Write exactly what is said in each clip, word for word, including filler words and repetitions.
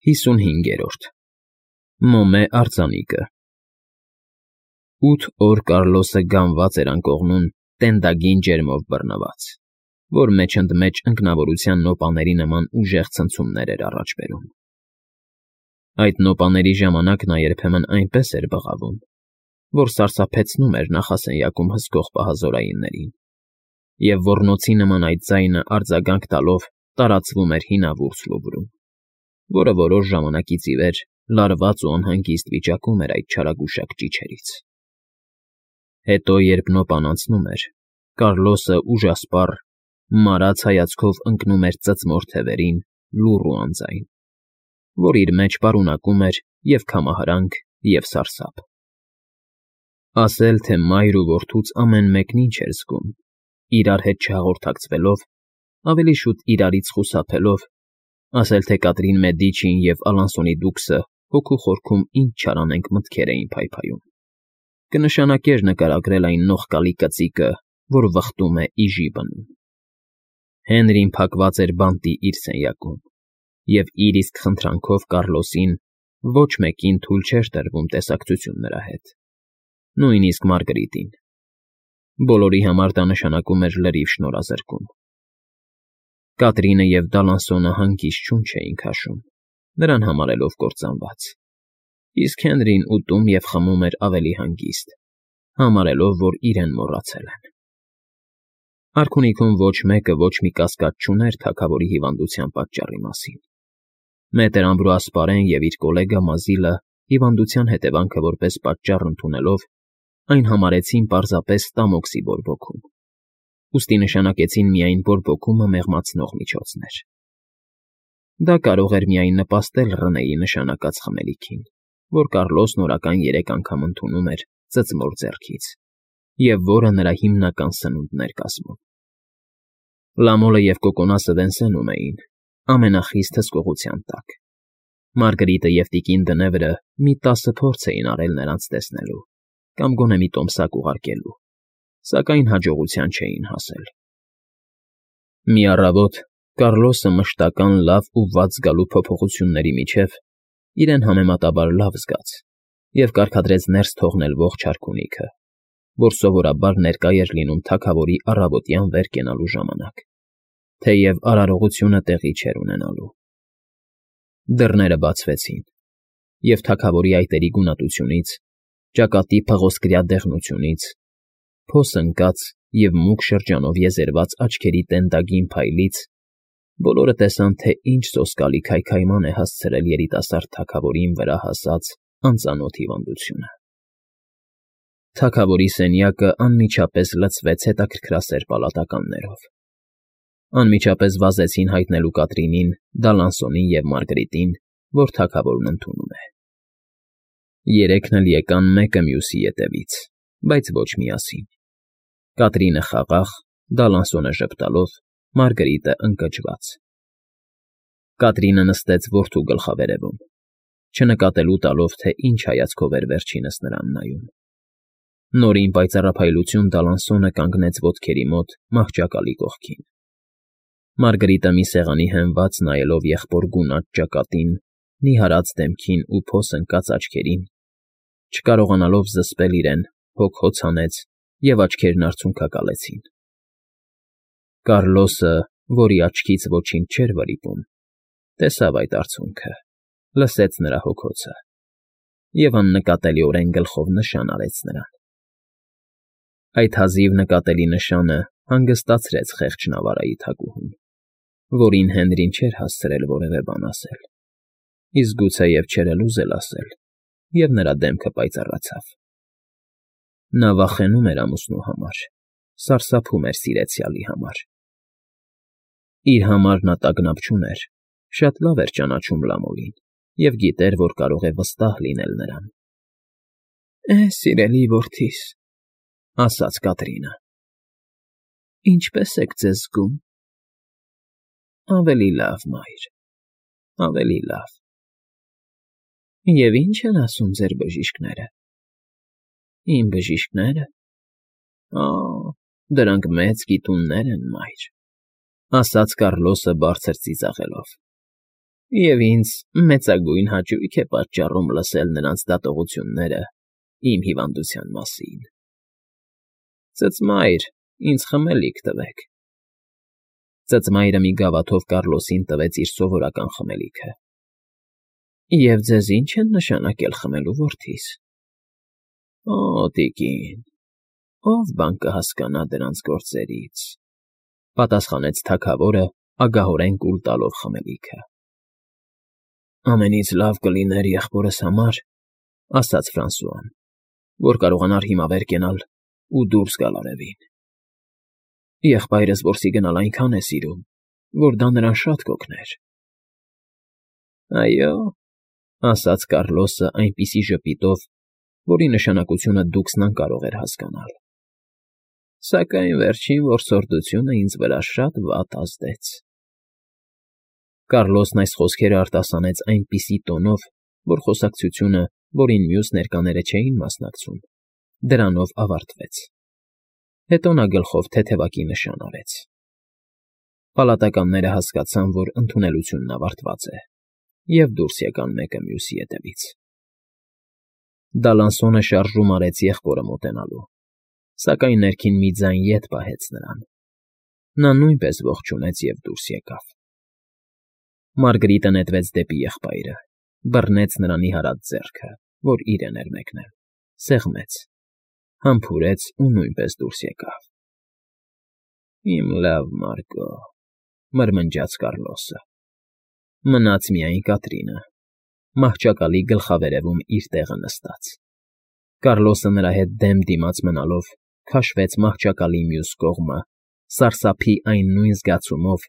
ՀԻսունհինգԵՐՈՐԴ Մոմե արձանիկը Ութ օր Կառլոսը գանված էր անկողնում տենդագին ջերմով բռնված, որ մեջ ընդ մեջ ինքնավորության նոպաների նման ուժեղ ցնցումներ էր առաջ բերում. Այդ նոպաների ժամանակ նա երբեմն այնպես էր բղավում, որ սարսափեցնում էր նախասենյակում հսկող պահազորայիններին, և ոռնոցի նման այդ ձայնը արձագանք տալով տարածվում էր հինավուրց Լուվրում, որը որոշ ժամանակից ի վեր լարված ու անհանգիստ վիճակում էր այդ չարագուշակ ճիչերից։ Հետո, երբ նոպան անցնում էր, Կառլոսը ուժասպառ, մարած հայացքով ընկնում էր ծծմոր թևերին լուռ ու անձայն, որ իր մեջ պարունակում էր և քամահարանք, և սարսափ։ Ասել, թե մայր ու որդուց ամեն մեկն ինչ էր զգում, իրար հետ չհաղորդակցվելով, ավելի շուտ իրարից խուսափելով, ասել, թե Կատրին Մեդիչին և Ալանսոնի դուքսը հոգու խորքում ինչ չարանենգ մտքեր էին փայփայում, կնշանակեր նկարագրել այն նողկալի կծիկը, որ վխտում է իժի բնում։ Հենրին փակված էր բանտի իր սենյակում, և իր իսկ խնդրանքով Կառլոսին ոչ մեկին թույլ չէր տրվում տեսակցություն նրա հետ, նույնիսկ Մարգարիտին։ Բոլորի համար դա նշանակում էր լրիվ շնորհազրկում։ Կատրինը և Դալանսոնը հանգիստ շունչ էին քաշում, նրան համարելով կործանված, իսկ Հենրին ուտում և խմում էր ավելի հանգիստ, համարելով, որ իրեն մոռացել են։ Արքունիքում ոչ մեկը ոչ մի կասկած չուներ թագավորի հիվանդության պատճառի մասին։ Մետր Ամբրուաս պարեն և իր կոլեգա Մազիլը հիվանդության հետևանքը որպես պատճառ ընդունելով, այն համարեցին պարզապես ստամոքսի բորբոքում, ուստի նշանակեցին միայն բորբոքումը մեղմացնող միջոցներ։ Դա կարող էր միայն նպաստել Ռնեի նշանակած խմելիքին, որ Կառլոսն օրական երեք անգամ ընդունում էր ծծմոր ձեռքից, և որը նրա հիմնական սնունդն էր կազմում։ Լամոլը և կոկոնասը Վենսենում էին, ամենախիստ հսկողության տակ։ Մարգարիտը և տիկին Դնևրը մի տասը փորձ էին արել նրանց տեսնելու կամ գոնե մի տոմսակ ուղարկելու, սակայն հաջողության չէին հասել։ Մի առավոտ Կառլոսը մշտական լավ ու վատ զգալու փոփոխությունների միջև իրեն համեմատաբար լավ զգաց և կարգադրեց ներս թողնել ողջ արքունիքը, որ սովորաբար ներկա էր լինում թագավորի առավոտյան վեր կենալու ժամանակ, թեև արարողությունը տեղի չէր ունենալու։ Դռները բացվեցին, և թագավորի այտերի գունատությունից, ճակատի փղոսկրյա դեղնությունից, փոս ընկած և մուգ շրջանով եզերված աչքերի տենդագին փայլից բոլորը տեսան, թե ինչ սոսկալի քայքայման է հասցրել երիտասարդ թագավորին վրա հասած անծանոթ հիվանդությունը։ Թագավորի սենյակը անմիջապես լցվեց հետաքրքրասեր պալատականներով։ Անմիջապես վազեցին հայտնելու Կատրինին, Դալանսոնին և Մարգարիտին, որ թագավորն ընդունում է։ Երեքն էլ եկան մեկը մյուսի ետևից, բայց ոչ միասին։ Կատրինը խաղաղ, Դալանսոնը ժպտալով, Մարգարիտը ընկճված։ Կատրինը նստեց որդու գլխավերևում, չնկատելու տալով, թե ինչ հայացքով էր վերջինս նրան նայում։ Նորին պայծառափայլություն Դալանսոնը կանգնեց ոտքերի մոտ մահճակալի կողքին։ Մարգարիտը մի սեղանի հենված նայելով եղբոր գունատ ճակատին, նիհարած դեմքին ու փոս ընկած աչքերին, չկարողանալով զսպել իրեն, հոգ֊հոց հանեց և աչքերն արցունքակալեցին։ Կառլոսը, որի աչքից ոչինչ չէր վրիպում, տեսավ այդ արցունքը, լսեց նրա հոգոցը և աննկատելիորեն գլխով նշան արեց նրան։ Այդ հազիվ նկատելի նշանը հանգստացրեց խեղճ Նավարայի թագուհուն, որին Հենրին չէր հասցրել որևէ բան ասել, իսկ գուցեև չէր էլ ուզել ասել, և նրա դեմքը պայծառացավ։ Նա վախենում էր ամուսնու համար, սարսափում էր սիրեցյալի համար։ Իր համար նա տագնապ չուներ, շատ լավ էր ճանաչում Լամոլին և գիտեր, որ կարող է վստահ լինել նրան։ ֊ Է, սիրելի որդիս,֊ ասաց Կատրինը,֊ ինչպե՞ս եք ձեզ զգում։ ֊ Ավելի լավ, մայր, ավելի լավ։ ֊ Եվ ի՞նչ են ասում ձեր բժիշկները։ ֊ Իմ բժիշկնե՞րը։ Ա՜, դրանք մեծ գիտուններ են, մայր,֊ ասաց Կառլոսը բարձր ծիծաղելով։ Եվ ինձ մեծագույն հաճույք է պատճառում լսել նրանց դատողությունները իմ հիվանդության մասին։ Ծծմայր, ինձ խմելիք տվեք։ Ծծմայրը մի գավաթով Կառլոսին տվեց իր սովորական խմելիքը։ Եվ ձեզ ի՞նչ են նշանակել խմելու, որդիս։ Օ, տիկին, ով բան կհասկանա դրանց գործերից,֊ պատասխանեց թագավորը ագահորեն կուլ տալով խմելիքը։ Ամենից լավ կլիներ եղբորս համար, ասաց Ֆրանսուան, որ կարողանար հիմա վեր կենալ ու դուրս գալ արևին։ Եղբայրս որսի գնալ այնքան է սիրում, որ դա նրան շատ կօգներ։ Այո, ասաց Կառլոսը այնպիսի ժպիտով, որի նշանակությունը դուքսն անկարող էր հասկանալ։ Սակայն վերջին որսորդությունը ինձ վրա շատ վատ ազդեց։ Կառլոսն այս խոսքերը արտասանեց այնպիսի տոնով, որ խոսակցությունը, որին մյուս ներկաները չէին մասնակցում, դրանով ավարտվեց։ Հետո նա գլխով թեթևակի նշան արեց։ Պալատականները հասկացան, որ ընդունելությունն ավարտված է, և դուրս եկան մեկը մյուսի ետևից։ Դալանսոնը շարժում արեց եղբորը մոտենալու, սակայն ներքին մի ձայն ետ պահեց նրան։ Նա նույնպես ողջունեց և դուրս եկավ։ Մարգրիտը նետվեց դեպի եղբայրը, բռնեց նրան նիհարած ձեռքը, որ իրեն էր մեկնել, սեղմեց, համբուրեց ու նույնպես դուրս եկավ։ Իմ լավ Մարգո,֊ մրմնջաց Կառլոսը։ Մնաց միայն Կատրինը, մահճակալի գլխավերևում իր տեղը նստած։ Կառլոսը նրա հետ դեմ դիմաց մնալով քաշվեց մահճակալի մյուս կողմը, սարսափի այն նույն զգացումով,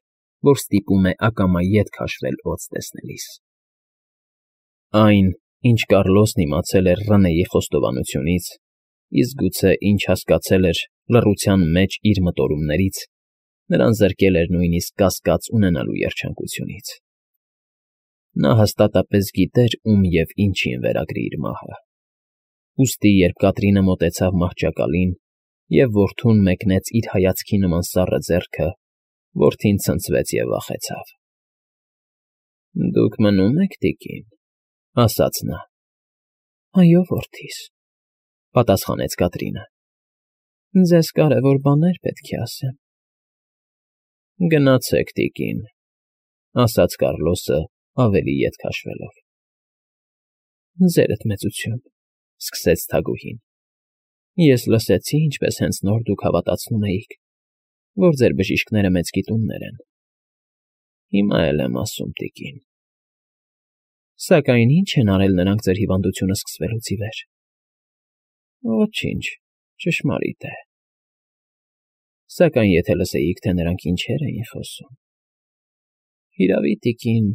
որ ստիպում է ակամա ետ քաշվել օձ տեսնելիս։ Այն, ինչ Կառլոսն իմացել էր Ռնեի խոստովանությունից, իսկ գուցե ինչ հասկացել էր լռության մեջ իր մտորումներից, նրան զրկել էր նույնիսկ կասկած ունենալու երջանկությունից։ Նա հաստատապես գիտեր, ում և ինչին վերագրի իր մահը։ Ուստի, երբ Կատրինը մոտեցավ մահճակալին և որդուն մեկնեց իր հայացքի նման սառը ձեռքը, որդին ցնցվեց և վախեցավ։ Դուք մնո՞ւմ եք, տիկին,֊ ասաց նա։ Այո, որդիս,֊ պատասխանեց Կատրինը։ Ձեզ կարևոր բաներ պետք է ասեմ։ Գնացեք, տիկին,֊ ասաց Կառլոսը ավելի ետ քաշվելով։ Ձերդ մեծություն,֊ սկսեց թագուհին։ Ես լսեցի, ինչպես հենց նոր դուք հավատացնում էիք, որ ձեր բժիշկները մեծ գիտուններ են։ Հիմա էլ եմ ասում, տիկին։ Սակայն ի՞նչ են արել նրանք ձեր հիվանդությունը սկսվելուց ի վեր։ Ոչինչ, ճշմարիտ է։ Սակայն եթե լսեիք, թե նրանք ինչեր էին խոսում… Հիրավի, տիկին,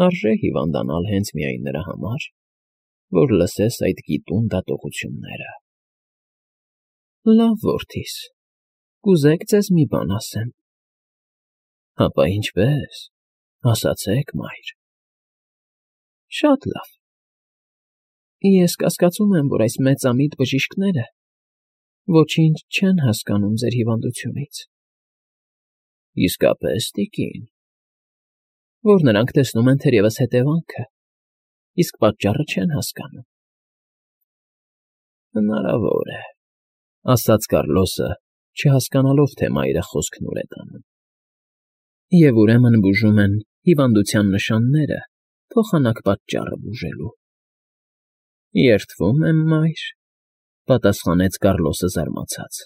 արժե հիվանդանալ հենց միայն նրա համար, որ լսես այդ գիտուն դատողությունները։ Լավ, որդիս, կուզեք ձեզ մի բան ասեմ։ Հապա ինչպե՞ս, ասացեք, մայր։ Շատ լավ։ Ես կասկածում եմ, որ այս մեծամիտ բժիշկները ոչինչ չեն հասկանում ձեր հիվանդությունից։ Իսկապես, տիկին։ Որ նրանք տեսնում են թերևս հետևանքը, իսկ պատճառը չեն հասկանում։ Հնարավոր է,֊ ասաց Կառլոսը, չհասկանալով, թե մայրը խոսքն ուր է տանում։ Եվ ուրեմն բուժում են հիվանդության նշանները, փոխանակ պատճառը բուժելու։ Երդվում եմ, մայր,֊ պատասխանեց Կառլոսը զարմացած։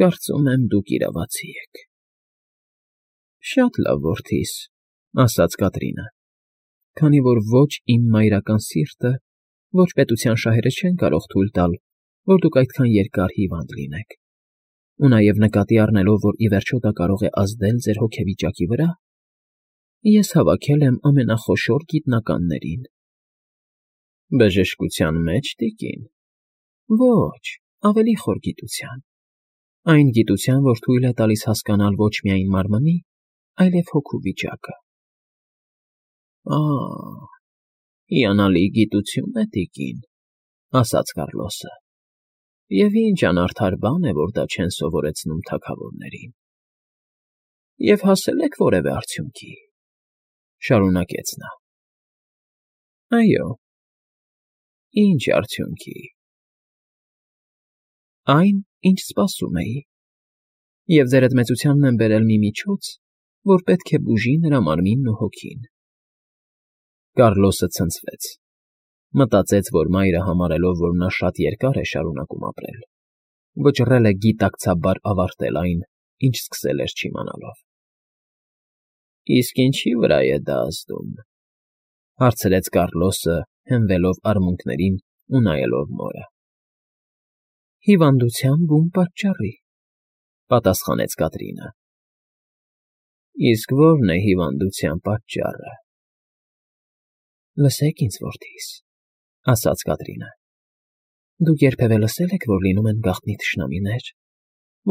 Կարծում եմ, դուք իրավացի եք։ Շատ լավ, որդիս,֊ ասաց Կատրինը, քանի որ ոչ իմ մայրական սիրտը, ոչ պետության շահերը չեն կարող թույլ տալ, որ դուք այդքան երկար հիվանդ լինեք, ու նաև նկատի առնելով, որ ի վերջո դա կարող է ազդել ձեր հոգեվիճակի վրա, ես հավաքել եմ ամենախոշոր գիտնականներին։ Բժշկության մեջ, տիկին։ Ոչ, ավելի խոր գիտության։ Այն գիտության, որ թույլ է տալիս հասկանալ ոչ միայն մարմնի, այլև հոգու վիճակը։ Ա՜, հիանալի գիտություն է, տիկին,֊ ասաց Կառլոսը։ Եվ ինչ անարդար բան է, որ դա չեն սովորեցնում թագավորներին։ Եվ հասել եք որևէ արդյունքի։ Շարունակեց նա։ Այո, ինչ արդյունքի։ Այն, ինչ սպասում էի, և ձերդ մեծությանն եմ բերել մի միջոց, որ պետք է բուժի նրա մարմինն ու հոգին։ Կառլոսը ցնցվեց, մտածեց, որ մայրը համարելով, որ նա շատ երկար է շարունակում ապրել, վճռել է գիտակցաբար ավարտել այն, ինչ սկսել էր չիմանալով։ Իսկ ինչի՞ վրա է դա ազդում,֊ հարցրեց Կառլոսը, հենվելով արմունկներին ու նայելով մորը։ Հիվանդության բուն պատճառի,֊ պատասխանեց Կատրինը։ Իսկ ո՞րն է հիվանդության պատճառը։ Լսեք ինձ, որդիս,֊ ասաց Կատրինը։ Դուք երբևէ լսե՞լ եք, որ լինում են գաղտնի թշնամիներ,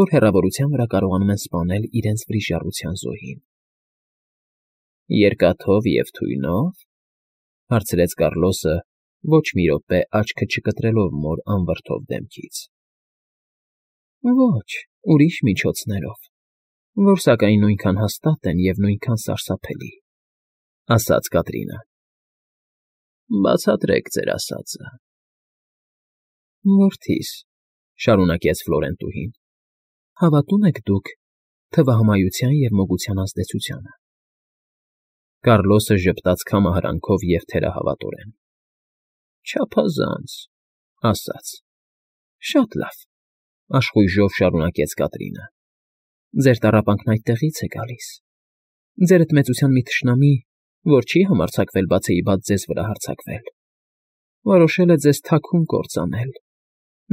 որ հեռավորության վրա կարողանում են սպանել իրենց վրիժառության զոհին։ Երկաթով և թույնո՞վ,֊ հարցրեց Կառլոսը, ոչ մի րոպե աչքը չկտրելով մոր անվրդով դեմքից։ Ոչ, ուրիշ միջոցներով, որ սակայն նույնքան հաստատ են և նույնքան սարսափելի,֊ ասաց Կատրինը։ Բացատրեք ձեր ասածը։ Որդիս,֊ շարունակեց Ֆլորենտուհին,֊ հավատո՞ւմ եք դուք թվահամայության և մոգության ազդեցությանը։ Կառլոսը ժպտաց քամահարանքով և թերահավատորեն։ Չափազանց,֊ ասաց։ Շատ լավ,֊ աշխույժով շարունակեց Կատրինը։ Ձեր տառապանքն այդտեղից է գալիս։ Ձերդ մեծության մի թշնամի, որ չի համարձակվել բացեիբաց ձեզ վրա հարձակվել, որոշել է ձեզ թաքուն կործանել։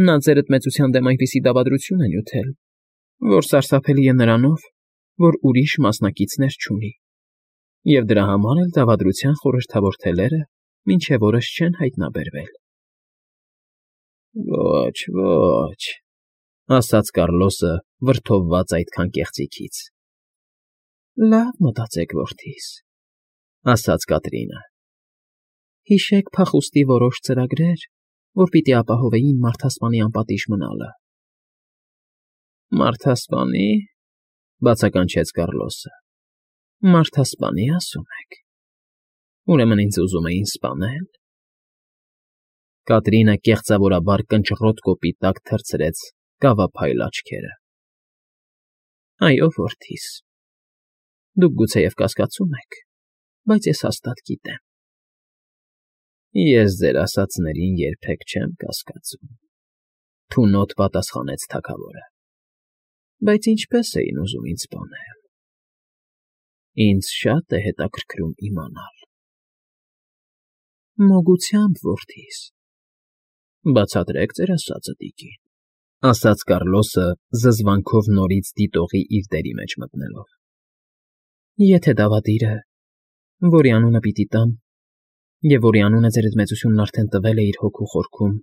Նա ձերդ մեծության դեմ այնպիսի դավադրություն է նյութել, որ սարսափելի է նրանով, որ ուրիշ մասնակիցներ չունի, և դրա համար էլ դավադրության խորհրդավոր թելերը մինչև օրս չեն հայտնաբերվել։ Ոչ, ոչ,֊ ասաց Կառլոսը, վրդովված այդքան կեղծիքից։ Լավ մտածեք, որդիս,֊ ասաց Կատրինը։ Հիշեք փախուստի որոշ ծրագրեր, որ պիտի ապահովեին մարդասպանի անպատիժ մնալը։ Մարդասպանի,֊ բացականչեց Կառլոսը։ Մարդասպանի, ասում եք։ Ուրեմն ինձ ուզում էին սպանե՞լ։ Կատրինը կեղծավորաբար կնճռոտ կոպի տակ թռցրեց կավափայլ աչքերը։ Այո, որդիս, դուք գուցեև կասկածում եք, բայց ես հաստատ գիտեմ։ Ես ձեր ասածներին երբեք չեմ կասկածում,֊ թունոտ պատասխանեց թագավորը։ Բայց ինչպե՞ս էին ուզում ինձ սպանել։ Ինձ շատ է հետաքրքրում իմանալ։ Մոգությամբ, որդիս։ Բացատրեք ձեր ասածը, տիկին,֊ ասաց Կառլոսը, զզվանքով նորից դիտողի իր դերի մեջ մտնելով։ Եթե դավադիրը, որի անունը պիտի տամ, և որի անունը ձերդ մեծությունն արդեն տվել է իր հոգու խորքում,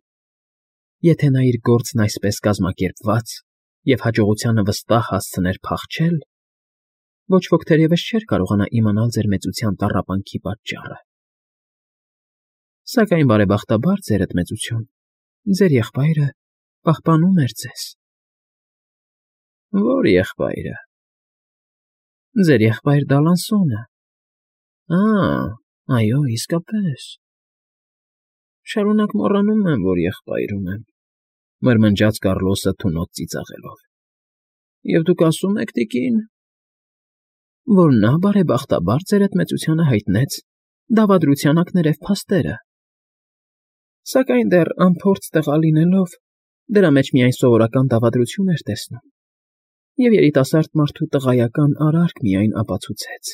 եթե նա իր գործն այսպես կազմակերպված և հաջողությանը վստահ հասցներ փախչել, ոչ ոք թերևս չէր կարողանա իմանալ ձեր մեծության տառապանքի պատճառը։ Սակայն բարեբախտաբար, ձերդ մեծություն, ձեր եղբայրը պահպանում էր ձեզ։ Ո՞ր եղբայրը։ Ձեր եղբայր Դալանսոնը։ Ա՛, այո, իսկապես։ Շարունակ մոռանում եմ, որ եղբայր ունեմ,֊ մրմնջաց Կառլոսը թունոտ ծիծաղելով։ Եվ դուք ասում եք, տիկին, որ նա բարեբախտաբար ձերդ մեծությանը հայտնեց դավադրության ակներև փաստերը։ Սակայն դեռ անփորձ տղա լինելով, դրա մեջ միայն սովորական դավադրություն էր տեսնում, և երիտասարդ մարդու տղայական արարք միայն ապացուցեց։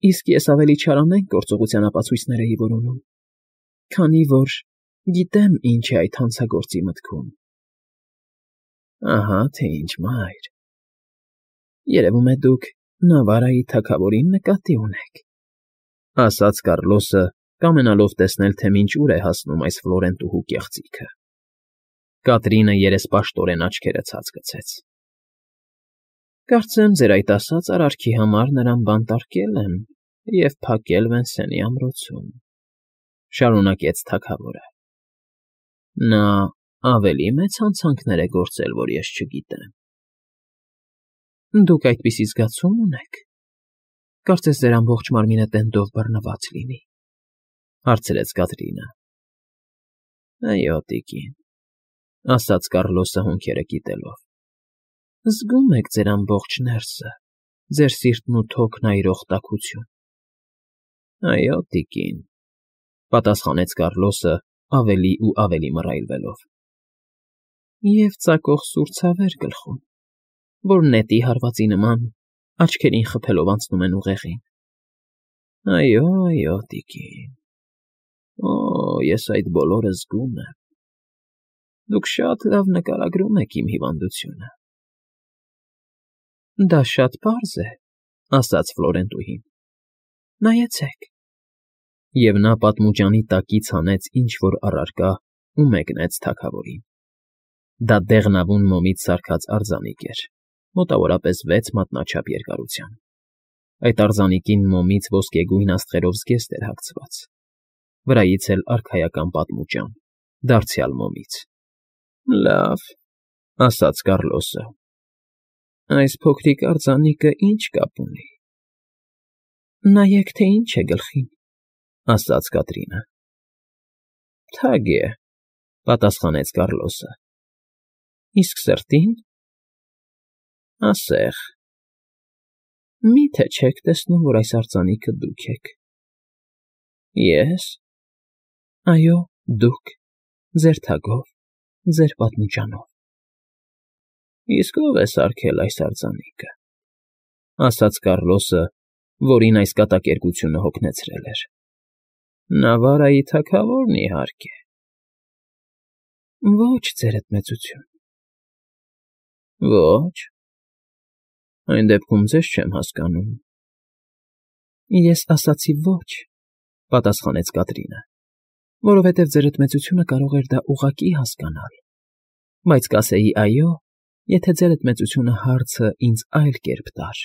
Իսկ ես ավելի չարանենգ գործողության ապացույցներ էի որոնում, քանի որ գիտեմ ինչ է այդ հանցագործի մտքում։ Ահա թե ինչ, մայր։ Երևում է դուք Նավարայի թագավորին նկատի ունեք,֊ ասաց Կառլոսը, կամենալով տեսնել, թե մինչ ուր է հասնում այս Ֆլորենտուհու կեղծիքը։ Կատրինը երեսպաշտորեն աչքերը ցած գցեց։ Կարծեմ, ձեր այդ ասած արարքի համար նրան բանտարկել եմ և փակել Վենսենի ամրոցում,֊ շարունակեց թագավորը։ Նա ավելի մեծ հանցանքներ է գործել, որ ես չգիտեմ։ Դուք այդպիսի զգացում ունեք։ Կարծես ձեր ամբողջ մարմինը տենդով բռնված լինի, հարցրեց Կատրինը։ Այո, տիկին, ասաց Կառլոսը հոնքերը կիտելով։ Զգում եք ձեր ամբողջ ներսը, ձեր սիրտն ու թոքն այրող տաքություն։ Այո, տիկին, պատասխանեց Կառլոսը ավելի ու ավելի մռայլվելով։ Եվ ծակող սուր ցավեր գլխում, որ նետի հարվածի նման աչքերին խփելով անցնում են ուղեղին։ Այո, այո, տիկին, օ, ես այդ բոլորը զգում եմ։ Դուք շատ լավ նկարագրում եք իմ հիվանդությունը։ Դա շատ պարզ է, ասաց Ֆլորենտուհին։ Նայեցեք։ Եվ նա պատմուճանի տակից հանեց ինչ֊որ առարկա ու մեկնեց թագավորին։ Դա դեղնավուն մոմից սարքած արձանիկ էր, մոտավորապես վեց մատնաչափ երկարության։ Այդ արձանիկին մոմից ոսկեգույն աստղերով զգեստ էր հագցված, վրայից էլ արքայական պատմուճան, դարձյալ մոմից։ Լավ, ասաց Կառլոսը։ Այս փոքրիկ արձանիկը ինչ կապ ունի։ Նայեք, թե ինչ է գլխին, ասաց Կատրինը։ Թագ է, պատասխանեց Կառլոսը։ Իսկ սրտին։ Ասեղ։ Մի՞թե չեք տեսնում, որ այս արձանիկը դուք եք։ Ես։ Այո, դուք, ձեր թագով, ձեր պատմուճանով։ Իսկ ո՞վ է սարքել այս արձանիկը, ասաց Կառլոսը, որին այս կատակերգությունը հոգնեցրել էր։ Նավարայի թագավորն իհարկե։ Ոչ, ձերդ մեծություն։ Ոչ։ Այն դեպքում ձեզ չեմ հասկանում։ Ես ասացի ոչ, պատասխանեց Կատրինը, որովհետև ձերդ մեծությունը կարող էր դա ուղղակի հասկանալ, բայց կասեի այո, եթե ձերդ մեծությունը հարցը ինձ այլ կերպ տար։